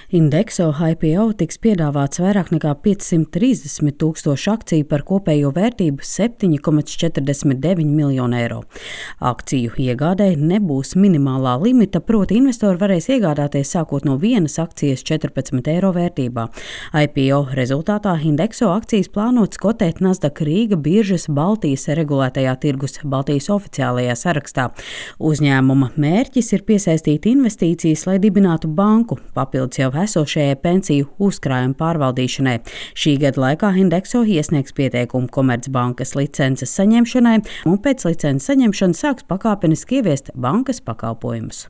Indexo IPO tiks piedāvāts vairāk nekā 530 tūkstošu akciju par kopējo vērtību 7,49 miljonu eiro. Akciju iegādēji nebūs minimālā limita, proti investori varēs iegādāties sākot no vienas akcijas 14 eiro vērtībā. IPO rezultātā Indexo akcijas plānotas kotēt Nasdaq Rīga biržas Baltijas regulētajā tirgus Baltijas oficiālajā sarakstā. Uzņēmuma mērķis ir piesaistīt investīcijas, lai dibinātu banku, papildus jau esošajai pensiju uzkrājuma pārvaldīšanai. Šī gada laikā Indexo iesniegs pieteikumu Komercbankas licences saņemšanai un pēc licences saņemšanas sāks pakāpeniski ieviest bankas pakalpojumus.